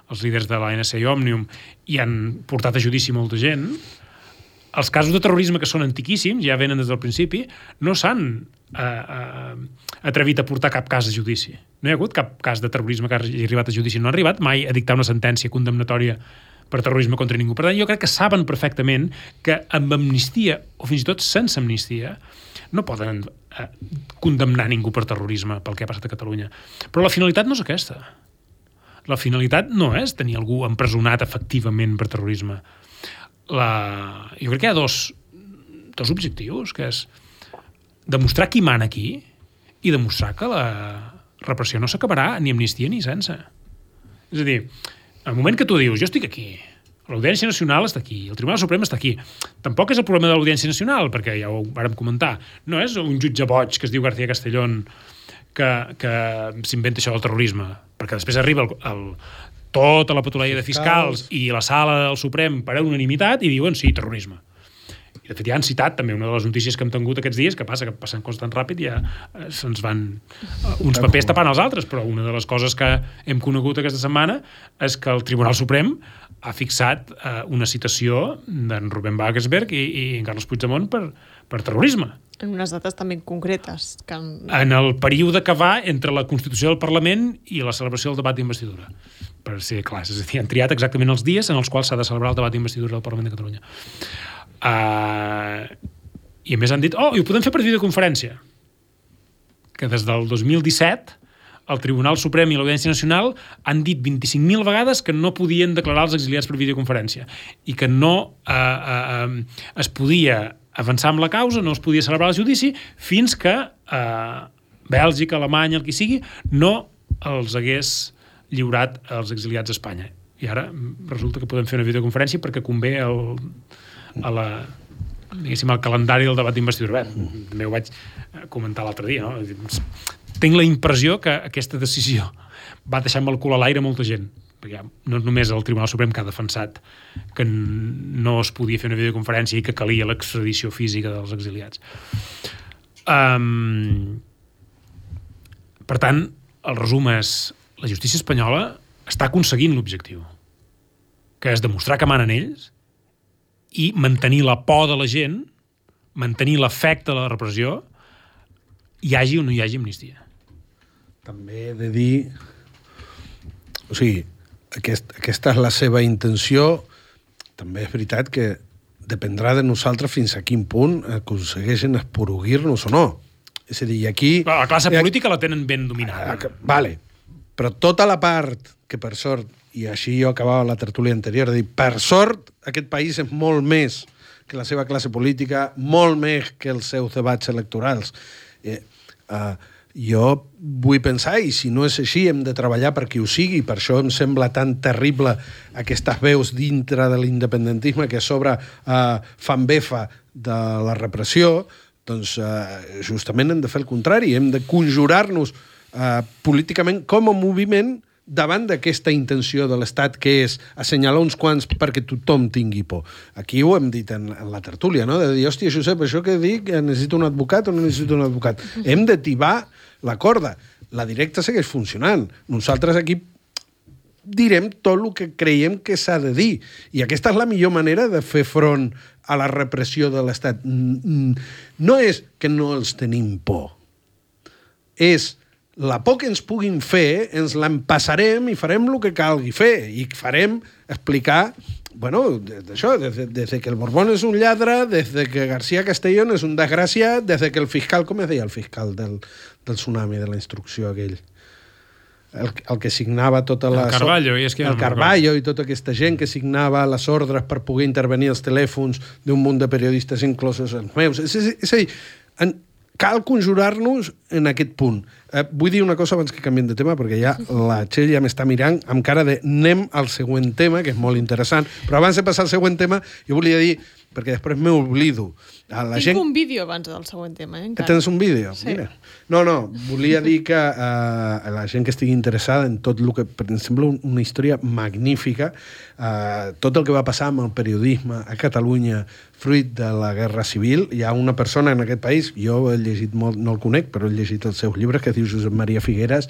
els líders de l'ANC i Òmnium i han portat a judici molta gent, els casos de terrorisme que són antiquíssims, ja venen des del principi, no s'han atrevit a portar cap cas a judici. No hi ha hagut cap cas de terrorisme que hagi arribat a judici. No ha arribat mai a dictar una sentència condemnatòria per terrorisme contra ningú. Per tant, jo crec que saben perfectament que amb amnistia, o fins i tot sense amnistia, no poden condemnar ningú per terrorisme pel que ha passat a Catalunya. Però la finalitat no és aquesta. La finalitat no és tenir algú empresonat efectivament per terrorisme. Jo crec que hi ha dos objectius, que és demostrar qui mana aquí i demostrar que la repressió no s'acabarà ni amnistia ni sense. És a dir, al moment que tu dius, jo estic aquí, l'Audiència Nacional està aquí, el Tribunal Suprem està aquí, tampoc és el problema de l'Audiència Nacional, perquè ja ho vàrem comentar, no és un jutge boig que es diu García Castellón que s'inventa això del terrorisme, perquè després arriba tota la patrulla de fiscals i la sala del Suprem per unanimitat i diuen sí, terrorisme. I de fet ja han citat també una de les notícies que hem tingut aquests dies, que passa que passen coses tan ràpid i ja se'ns van uns papers tapant els altres, però una de les coses que hem conegut aquesta setmana és que el Tribunal Suprem ha fixat una citació d'en Ruben Wagensberg i en Carles Puigdemont per terrorisme. En unes dates també concretes. En el període que va entre la Constitució del Parlament i la celebració del debat d'investidura. Per ser clars, és a dir, han triat exactament els dies en els quals s'ha de celebrar el debat d'investidura del Parlament de Catalunya. I a més han dit, i ho podem fer per videoconferència, que des del 2017 el Tribunal Suprem i l'Audiència Nacional han dit 25.000 vegades que no podien declarar els exiliats per videoconferència i que no es podia avançar amb la causa, no es podia celebrar el judici fins que Bèlgica, Alemanya, el que sigui, no els hagués lliurat als exiliats a Espanya. I ara resulta que podem fer una videoconferència perquè convé al calendari del debat d'investidura. També ho vaig comentar l'altre dia, no? Tinc la impressió que aquesta decisió va deixar amb el cul a l'aire molta gent, perquè no només el Tribunal Suprem que ha defensat que no es podia fer una videoconferència i que calia l'extradició física dels exiliats. Per tant, el resum és la justícia espanyola està aconseguint l'objectiu, que és demostrar que manen ells i mantenir la por de la gent, mantenir l'efecte de la repressió, hi hagi o no hi hagi amnistia. També he de dir... O sigui, aquesta és la seva intenció. També és veritat que dependrà de nosaltres fins a quin punt aconsegueixen esporuguir-nos o no. És a dir, aquí... La classe política la tenen ben dominada. Vale, però tota la part que, per sort, i així jo acabava la tertúlia anterior, de dir, per sort, aquest país és molt més que la seva classe política, molt més que els seus debats electorals. Jo vull pensar, i si no és així, hem de treballar perquè ho sigui, per això em sembla tan terrible aquestes veus dintre de l'independentisme que a sobre fan befa de la repressió. Doncs justament hem de fer el contrari, hem de conjurar-nos políticament com a moviment davant d'aquesta intenció de l'Estat, que és assenyalar uns quants perquè tothom tingui por. Aquí ho hem dit en la tertúlia, no? De dir, hòstia, Josep, això que dic, necessito un advocat o no necessito un advocat? Hem de tibar la corda. La directa segueix funcionant. Nosaltres aquí direm tot el que creiem que s'ha de dir. I aquesta és la millor manera de fer front a la repressió de l'Estat. No és que no els tenim por. És la por que ens puguin fer, ens l'empassarem i farem el que calgui fer. I farem explicar, bueno, d'això, des que el Borbón és un lladre, des que García Castellón és un desgraciat, des que el fiscal, com es deia el fiscal del tsunami, de la instrucció aquell? El que signava tota la... El Carballo, i és que... El Carballo i tota aquesta gent que signava les ordres per poder intervenir els telèfons d'un munt de periodistes, inclosos els meus. És a dir, cal conjurar-nos en aquest punt. Vull dir una cosa abans que canviem de tema, perquè ja la Txell ja m'està mirant amb cara de anem al següent tema, que és molt interessant, però abans de passar al següent tema, jo volia dir, perquè després m'oblido. Tinc un vídeo abans del següent tema, encara. Tens un vídeo? Sí. Mira. No, volia dir que la gent que estigui interessada en tot el que... Em sembla una història magnífica. Tot el que va passar amb el periodisme a Catalunya fruit de la Guerra Civil. Hi ha una persona en aquest país, jo he llegit molt, no el conec, però he llegit els seus llibres, que es diu Josep Maria Figueras,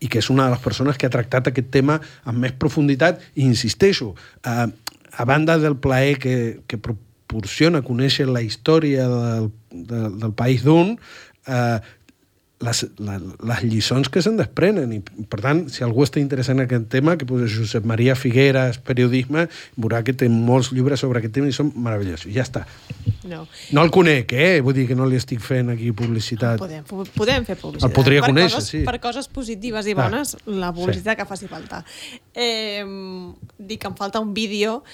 i que és una de les persones que ha tractat aquest tema amb més profunditat, i insisteixo, a banda del plaer que proporciona conèixer la història del país d'un, les lliçons que se'n desprenen. I, per tant, si algú està interessat en aquest tema, que posa Josep Maria Figueras, periodisme, veurà que té molts llibres sobre aquest tema i són meravellosos. Ja està. No el conec, vull dir que no li estic fent aquí publicitat. Podem fer publicitat. El podria conèixer, sí. Per coses positives i bones, la publicitat que faci falta. Dic que em falta un vídeo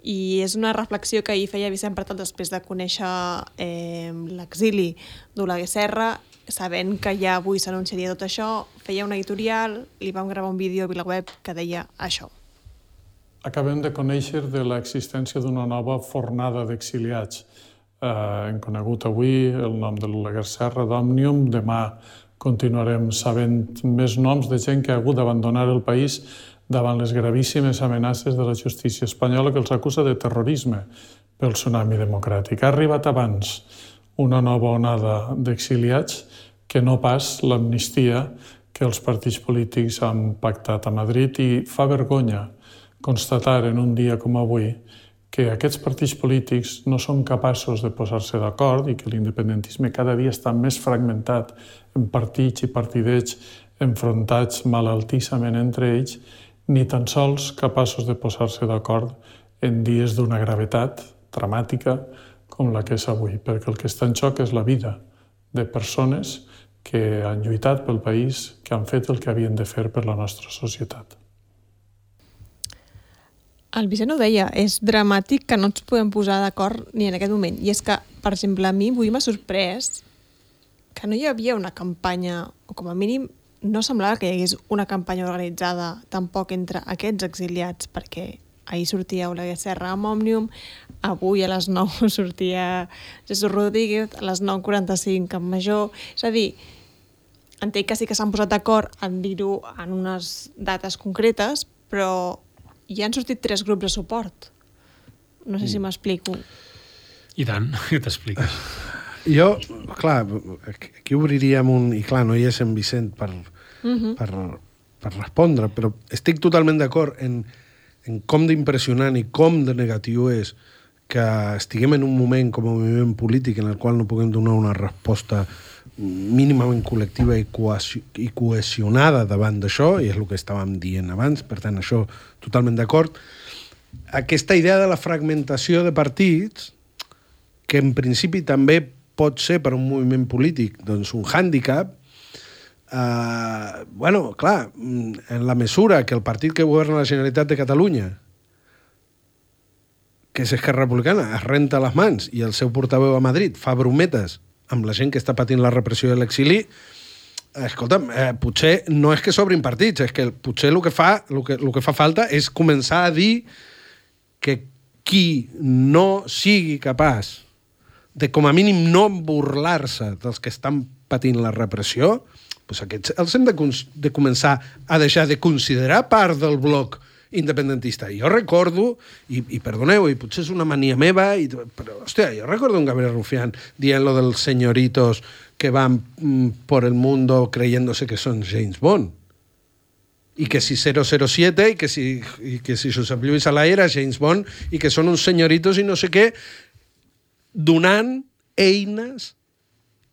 i és una reflexió que ahir feia Vicent Pratol després de conèixer l'exili d'Oleguer Serra, sabent que ja avui s'anunciaria tot això, feia un editorial, li vam gravar un vídeo a VilaWeb que deia això. Acabem de conèixer de l'existència d'una nova fornada d'exiliats. Hem conegut avui el nom de l'Oleguer Serra d'Òmnium, demà continuarem sabent més noms de gent que ha hagut d'abandonar el país davant les gravíssimes amenaces de la justícia espanyola que els acusa de terrorisme pel tsunami democràtic. Ha arribat abans una nova onada d'exiliats que no pas l'amnistia que els partits polítics han pactat a Madrid, i fa vergonya constatar en un dia com avui que aquests partits polítics no són capaços de posar-se d'acord i que l'independentisme cada dia està més fragmentat en partits i partidets enfrontats malaltissament entre ells, ni tan sols capaços de posar-se d'acord en dies d'una gravetat dramàtica com la que és avui, perquè el que està en xoc és la vida de persones que han lluitat pel país, que han fet el que havien de fer per la nostra societat. El Vicent ho deia, és dramàtic que no ens podem posar d'acord ni en aquest moment. I és que, per exemple, a mi avui m'ha sorprès que no hi havia una campanya, o com a mínim no semblava que hi hagués una campanya organitzada tampoc entre aquests exiliats, perquè ahir sortia Oleguer Serra amb Òmnium, avui a les 9 sortia Jesús Rodríguez, a les 9:45 amb Major. És a dir, entenc que sí que s'han posat d'acord en dir-ho en unes dates concretes, però ja han sortit 3 grups de suport. No sé si m'explico. I tant, que t'expliques. Jo, clar, aquí obriríem un... I clar, no hi és en Vicent per respondre, però estic totalment d'acord en com d'impressionant i com de negatiu és que estiguem en un moment com a moviment polític en el qual no puguem donar una resposta mínimament col·lectiva i cohesionada davant d'això, i és el que estàvem dient abans, per tant, això totalment d'acord. Aquesta idea de la fragmentació de partits, que en principi també pot ser per un moviment polític doncs un hàndicap, bueno, clar, en la mesura que el partit que governa la Generalitat de Catalunya, que és Esquerra Republicana, es renta les mans i el seu portaveu a Madrid fa brometes amb la gent que està patint la repressió de l'exili, escolta'm, potser no és que s'obrin partits, és que potser el que fa falta és començar a dir que qui no sigui capaç de, com a mínim, no burlar-se dels que estan patint la repressió, doncs aquests els hem de començar a deixar de considerar part del bloc independentista. Jo recordo, i perdoneu, i potser és una mania meva, però, hòstia, jo recordo un Gabriel Rufián dient lo dels señoritos que van por el mundo creyéndose que son James Bond. I que si 007 i que si Josep Lluís Alay era James Bond i que són uns señoritos i no sé què, donant eines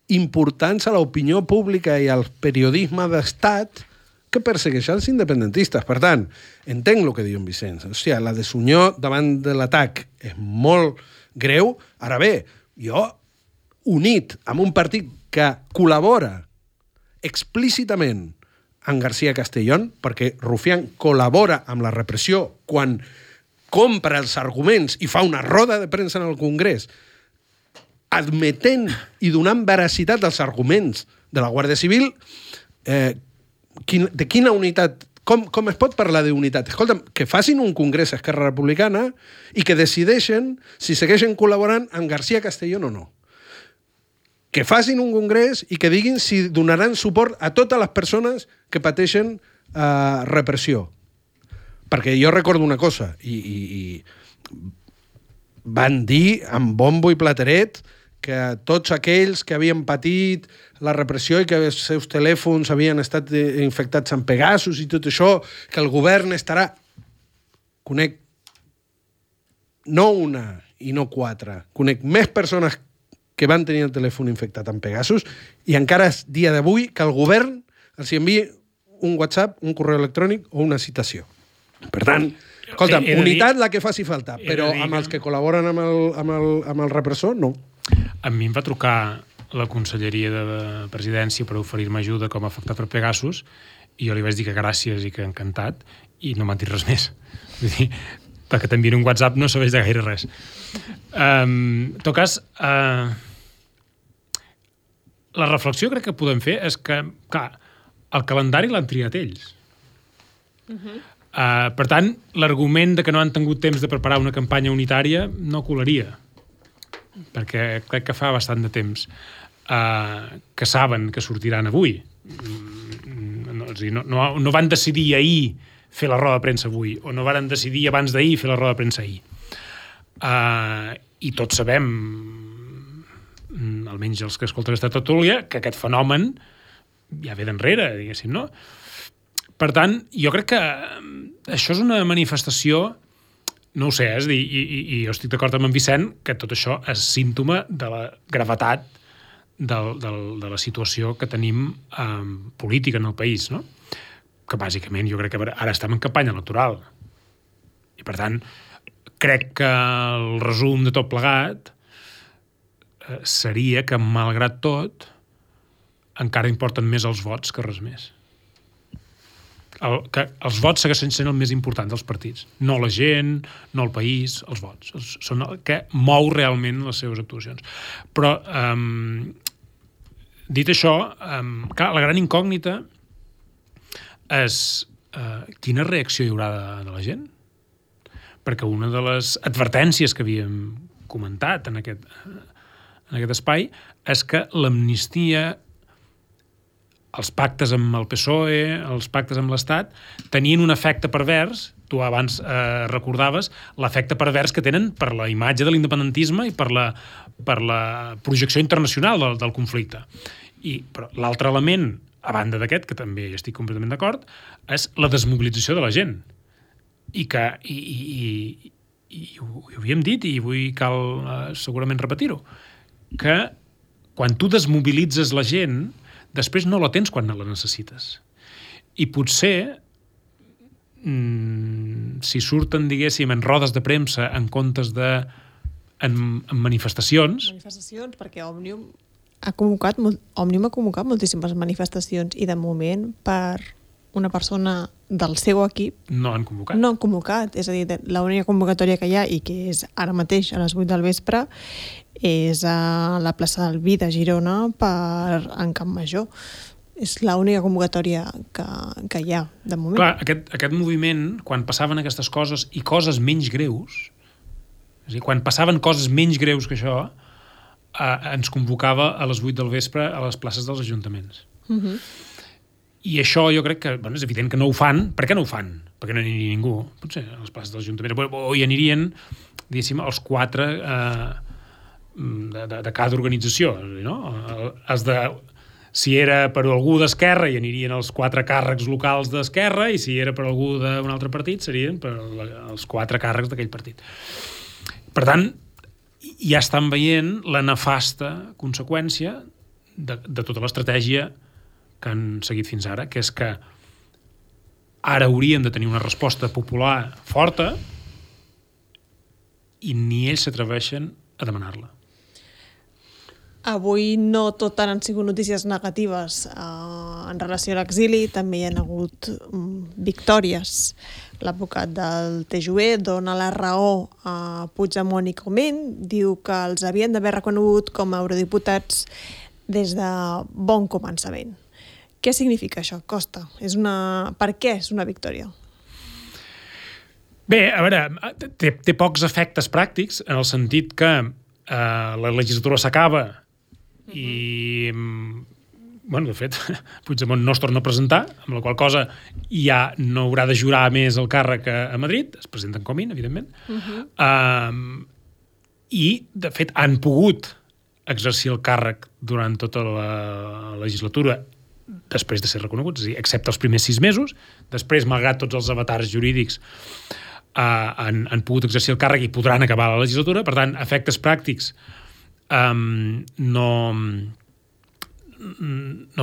importants a l'opinió pública i al periodisme d'estat que persegueix els independentistes. Per tant, entenc el que diu en Vicenç. Hòstia, la desunió davant de l'atac és molt greu. Ara bé, jo, unit amb un partit que col·labora explícitament amb García Castellón, perquè Rufián col·labora amb la repressió quan compra els arguments i fa una roda de premsa en el Congrés, admetent i donant veracitat als arguments de la Guàrdia Civil, de quina unitat, com es pot parlar d'unitat? Escolta'm, que facin un congrés a Esquerra Republicana i que decideixen si segueixen col·laborant amb García Castellón o no. Que facin un congrés i que diguin si donaran suport a totes les persones que pateixen repressió. Perquè jo recordo una cosa, i van dir amb bombo i plateret que tots aquells que havien patit la repressió i que els seus telèfons havien estat infectats amb Pegasus i tot això, que el govern estarà... Conec no una i no 4, conec més persones que van tenir el telèfon infectat amb Pegasus i encara és dia d'avui que el govern els envia un WhatsApp, un correu electrònic o una citació. Per tant, escolta, unitat la que faci falta, però amb els que col·laboren amb el repressor, no. A mi em va trucar la Conselleria de Presidència per oferir-me ajuda com a afectat per Pegasus i jo li vaig dir que gràcies i que encantat i no m'han dit res més. Vull dir, perquè t'envien un WhatsApp no serveix de gaire res. En tot cas, la reflexió crec que podem fer és que, clar, el calendari l'han triat ells. Per tant, l'argument de que no han tingut temps de preparar una campanya unitària no colaria, perquè crec que fa bastant de temps que saben que sortiran avui. No van decidir ahir fer la roda de premsa avui, o no van decidir abans d'ahir fer la roda de premsa ahir. I tots sabem, almenys els que escolten aquesta tertúlia, que aquest fenomen ja ve d'enrere, diguéssim, no? Per tant, jo crec que això és una manifestació, no ho sé, és a dir, i jo estic d'acord amb en Vicent, que tot això és símptoma de la gravetat de la situació que tenim política en el país, no? Que bàsicament jo crec que ara estem en campanya electoral. I per tant, crec que el resum de tot plegat seria que, malgrat tot, encara importen més els vots que res més. Que els vots segueixen sent el més important dels partits. No la gent, no el país, els vots. Són el que mou realment les seves actuacions. Però, dit això, clar, la gran incògnita és quina reacció hi haurà de la gent? Perquè una de les advertències que havíem comentat en aquest espai és que l'amnistia els pactes amb el PSOE, els pactes amb l'Estat, tenien un efecte pervers, tu abans recordaves, l'efecte pervers que tenen per la imatge de l'independentisme i per la projecció internacional del conflicte. Però l'altre element, a banda d'aquest, que també hi estic completament d'acord, és la desmobilització de la gent. I ho havíem dit, i avui cal segurament repetir-ho, que quan tu desmobilitzes la gent, després no la tens quan no la necessites. I potser, si surten, diguéssim, en rodes de premsa en comptes de en manifestacions... Manifestacions, perquè Òmnium ha convocat moltíssimes manifestacions i de moment per una persona del seu equip no han convocat. No han convocat, és a dir, l'única convocatòria que hi ha i que és ara mateix a les 8 del vespre és a la plaça del Vi de Girona en Camp Major. És l'única convocatòria que hi ha de moment. Clar, aquest moviment, quan passaven aquestes coses i coses menys greus, és a dir, quan passaven coses menys greus que això, ens convocava a les 8 del vespre a les places dels ajuntaments. I això jo crec que, és evident que no ho fan. Per què no ho fan? Perquè no hi aniria ningú. Potser a les places dels ajuntaments. O hi anirien, diguéssim, els 4 de cada organització, no? Si era per algú d'Esquerra, hi anirien els 4 càrrecs locals d'Esquerra, i si era per algú d'un altre partit, serien per els 4 càrrecs d'aquell partit. Per tant, ja estan veient la nefasta conseqüència de tota l'estratègia que han seguit fins ara, que és que ara haurien de tenir una resposta popular forta i ni ells s'atreveixen a demanar-la. Avui no tot han sigut notícies negatives en relació a l'exili, també hi ha hagut victòries. L'advocat del TJUE dona la raó a Puigdemont i Comín, diu que els havien d'haver reconegut com a eurodiputats des de bon començament. Què significa això, Costa? Per què és una victòria? Bé, a veure, té pocs efectes pràctics, en el sentit que la legislatura s'acaba i, de fet, Puigdemont no es torna a presentar, amb la qual cosa ja no haurà de jurar més el càrrec a Madrid, es presenten Comín, evidentment, i, de fet, han pogut exercir el càrrec durant tota la legislatura després de ser reconeguts, és a dir, excepte els primers 6 mesos. Després, malgrat tots els avatars jurídics, han pogut exercir el càrrec i podran acabar la legislatura. Per tant, efectes pràctics no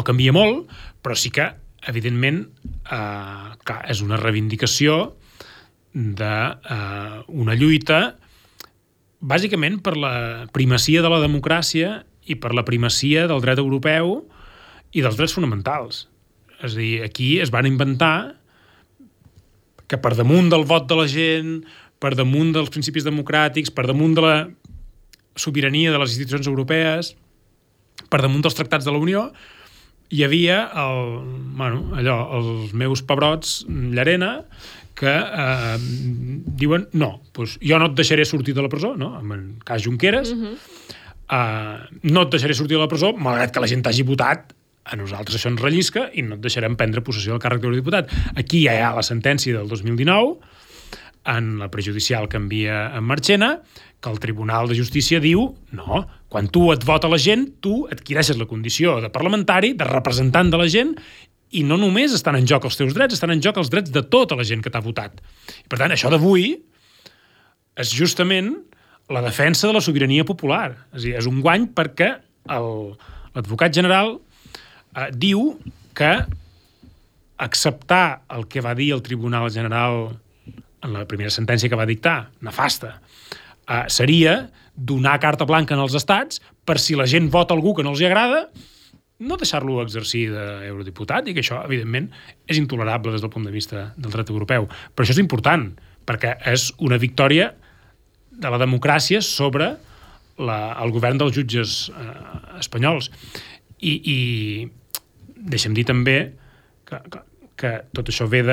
canvia molt, però sí que, evidentment, clar, és una reivindicació d'una lluita bàsicament per la primacia de la democràcia i per la primacia del dret europeu i dels drets fonamentals. És a dir, aquí es van inventar que per damunt del vot de la gent, per damunt dels principis democràtics, per damunt de la sobirania de les institucions europees, per damunt dels tractats de la Unió, hi havia els meus pebrots Llarena que diuen no, doncs jo no et deixaré sortir de la presó, no? En el cas Junqueras, no et deixaré sortir de la presó, malgrat que la gent t'hagi votat, a nosaltres això ens rellisca i no et deixarem prendre possessió del càrrec d'eurodiputat. Aquí ja hi ha la sentència del 2019, en la prejudicial que envia en Marchena, que el Tribunal de Justícia diu no, quan tu et vota la gent, tu adquireixes la condició de parlamentari, de representant de la gent, i no només estan en joc els teus drets, estan en joc els drets de tota la gent que t'ha votat. I per tant, això d'avui és justament la defensa de la sobirania popular. És a dir, és un guany perquè l'advocat general diu que acceptar el que va dir el Tribunal General en la primera sentència que va dictar, nefasta, seria donar carta blanca als estats per si la gent vota algú que no els agrada, no deixar-lo exercir d'eurodiputat, i que això, evidentment, és intolerable des del punt de vista del dret europeu. Però això és important, perquè és una victòria de la democràcia sobre el govern dels jutges espanyols. I deixem dir també que tot això ve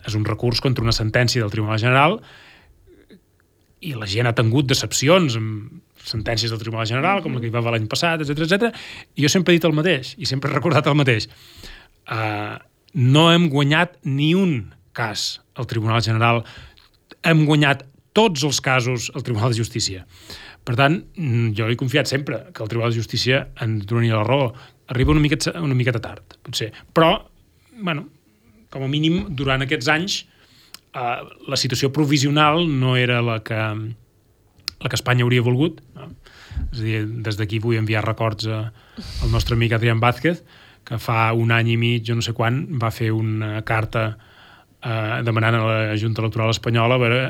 és un recurs contra una sentència del Tribunal General i la gent ha tingut decepcions sentències del Tribunal General, com la que hi va haver l'any passat, etc. I jo sempre he dit el mateix, i sempre he recordat el mateix. No hem guanyat ni un cas al Tribunal General, hem guanyat tots els casos al Tribunal de Justícia. Per tant, jo he confiat sempre que el Tribunal de Justícia ens donaria la raó. Arriba una miqueta tard, potser. Però, bueno, com a mínim, durant aquests anys, la situació provisional no era la que Espanya hauria volgut. No? És a dir, des d'aquí vull enviar records al nostre amic Adrián Vázquez, que fa un any i mig, jo no sé quan, va fer una carta demanant a la Junta Electoral Espanyola a veure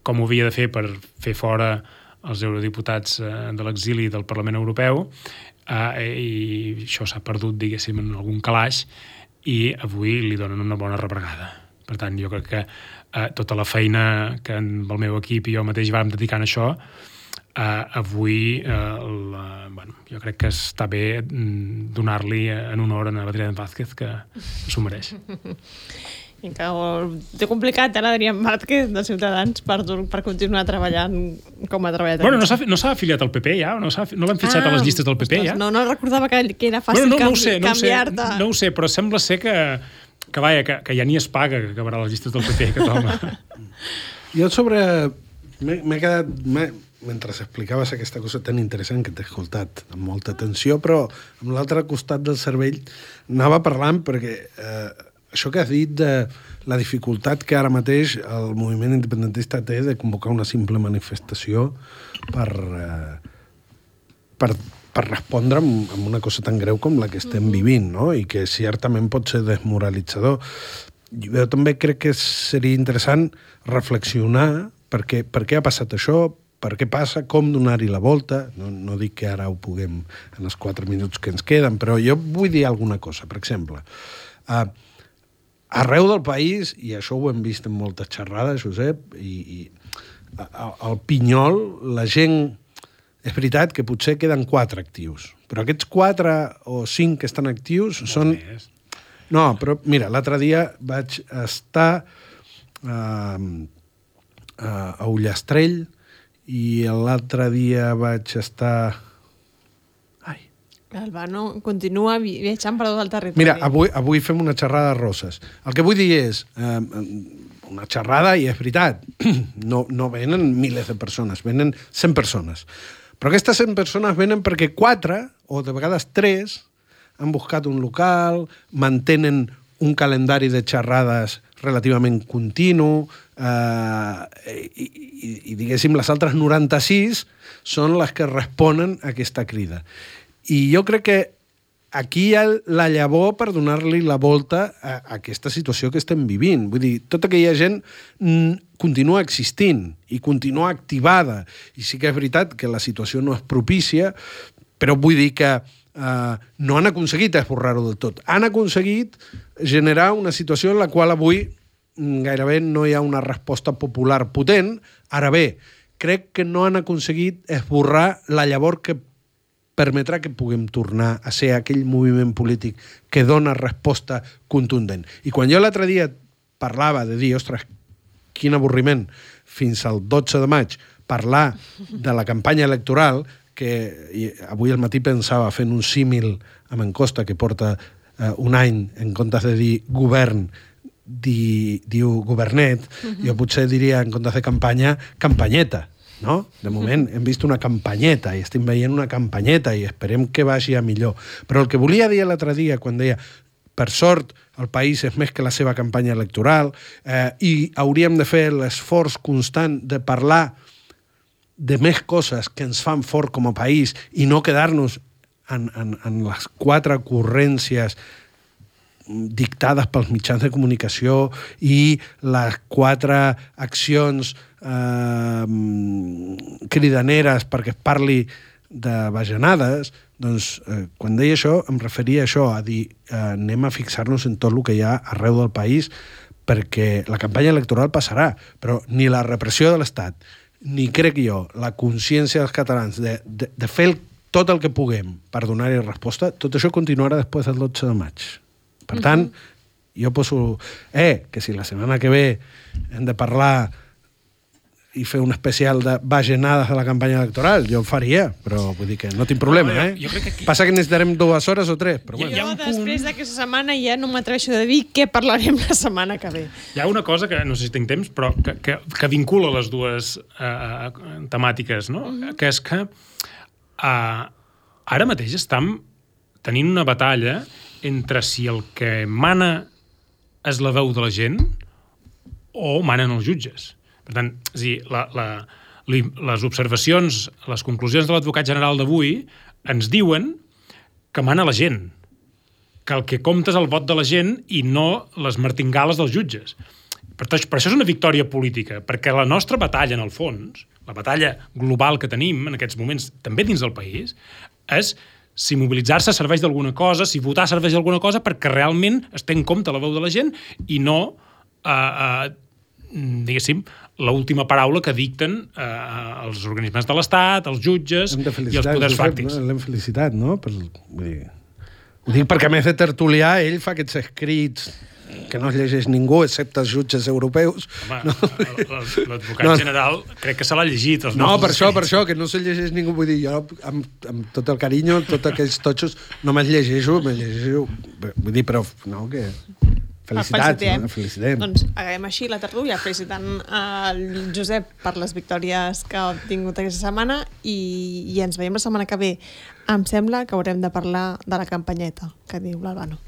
com ho havia de fer per fer fora els eurodiputats de l'exili del Parlament Europeu, i això s'ha perdut, diguéssim, en algun calaix, i avui li donen una bona rebregada. Per tant, jo crec que tota la feina que amb el meu equip i jo mateix vam dedicant a això, avui jo crec que està bé donar-li en honor a l'Adrián Vázquez, que s'ho mereix. I que té complicat, l'Adrián Vázquez de Ciutadans per continuar treballant com ha treballat. Bueno, no s'ha afiliat al PP ja? No l'han fitxat a les llistes del PP ja? No recordava que era fàcil canviar-te. No ho sé, però sembla ser que ja ni es paga que acabarà les llistes del PP, aquest home. Jo m'he quedat... Mentre explicaves aquesta cosa tan interessant que t'he escoltat amb molta atenció, però amb l'altre costat del cervell anava parlant perquè això que has dit de la dificultat que ara mateix el moviment independentista té de convocar una simple manifestació per respondre amb una cosa tan greu com la que estem vivint, no? I que certament pot ser desmoralitzador. Jo també crec que seria interessant reflexionar per què ha passat això, per què passa, com donar-hi la volta. No dic que ara ho puguem en els 4 minuts que ens queden, però jo vull dir alguna cosa. Per exemple, arreu del país, i això ho hem vist en moltes xerrades, Josep, i al Pinyol, la gent... És veritat que potser queden 4 actius, però aquests 4 o 5 que estan actius són... No, però mira, l'altre dia vaig estar a Ullastrell i l'altre dia vaig estar... Albano continua viatjant per tot el territori. Mira, avui fem una xerrada de Roses. El que vull dir és, una xerrada, i és veritat, no venen milers de persones, venen 100 persones. Però aquestes 100 persones venen perquè 4, o de vegades 3, han buscat un local, mantenen un calendari de xerrades relativament continu, i diguéssim, les altres 96 són les que responen a aquesta crida. I jo crec que aquí hi ha la llavor per donar-li la volta a aquesta situació que estem vivint. Vull dir, tota aquella gent continua existint i continua activada. I sí que és veritat que la situació no és propícia, però vull dir que no han aconseguit esborrar-ho del tot. Han aconseguit generar una situació en la qual avui gairebé no hi ha una resposta popular potent. Ara bé, crec que no han aconseguit esborrar la llavor que permetrà que puguem tornar a ser aquell moviment polític que dona resposta contundent. I quan jo l'altre dia parlava de dir, ostres, quin avorriment, fins al 12 de maig, parlar de la campanya electoral, que avui al matí pensava fent un símil amb en Costa, que porta un any, en comptes de dir govern, diu governet, jo potser diria, en comptes de campanya, campanyeta. No? De moment hem vist una campanyeta i estem veient una campanyeta i esperem que vagi a millor. Però el que volia dir l'altre dia quan deia per sort el país és més que la seva campanya electoral i hauríem de fer l'esforç constant de parlar de més coses que ens fan fort com a país i no quedar-nos en les 4 ocurrències dictades pels mitjans de comunicació i les 4 accions cridaneres perquè es parli de bajanades, doncs quan deia això em referia a això, a dir anem a fixar-nos en tot el que hi ha arreu del país perquè la campanya electoral passarà, però ni la repressió de l'Estat, ni crec jo, la consciència dels catalans de fer tot el que puguem per donar-hi resposta, tot això continuarà després del 12 de maig. Per tant, jo poso... que si la setmana que ve hem de parlar i fer un especial de bajanades de la campanya electoral. Jo ho faria, però vull dir que no tinc problema, jo crec que aquí... Passa que necessitarem 2 hores o 3, però bueno. Jo, després d'aquesta setmana, ja no m'atreveixo de dir què parlarem la setmana que ve. Hi ha una cosa que, no sé si tinc temps, però que vincula les dues temàtiques, no? Que és que ara mateix estem tenint una batalla entre si el que mana és la veu de la gent o manen els jutges. Per tant, és a dir, les observacions, les conclusions de l'advocat general d'avui ens diuen que mana la gent, que el que compta és el vot de la gent i no les martingales dels jutges. Per això és una victòria política, perquè la nostra batalla, en el fons, la batalla global que tenim en aquests moments, també dins del país, és si mobilitzar-se serveix d'alguna cosa, si votar serveix d'alguna cosa, perquè realment es té en compte la veu de la gent i no, diguéssim, l'última paraula que dicten els organismes de l'Estat, els jutges i els poders fàctics. L'hem felicitat, no? Ho dic perquè, a més de tertulià, ell fa aquests escrits que no es llegeix ningú, excepte els jutges europeus. Home, l'advocat general crec que se l'ha llegit. No, per això, que no se llegeix ningú. Vull dir, jo, amb tot el carinyo, tots aquests totxos, no me'ls llegeixo. Vull dir, però, no, que... Felicitats, no? Felicitem. Doncs acabem així la tertúlia felicitant el Josep per les victòries que ha obtingut aquesta setmana i ens veiem la setmana que ve. Em sembla que haurem de parlar de la campanyeta, que diu l'Albano.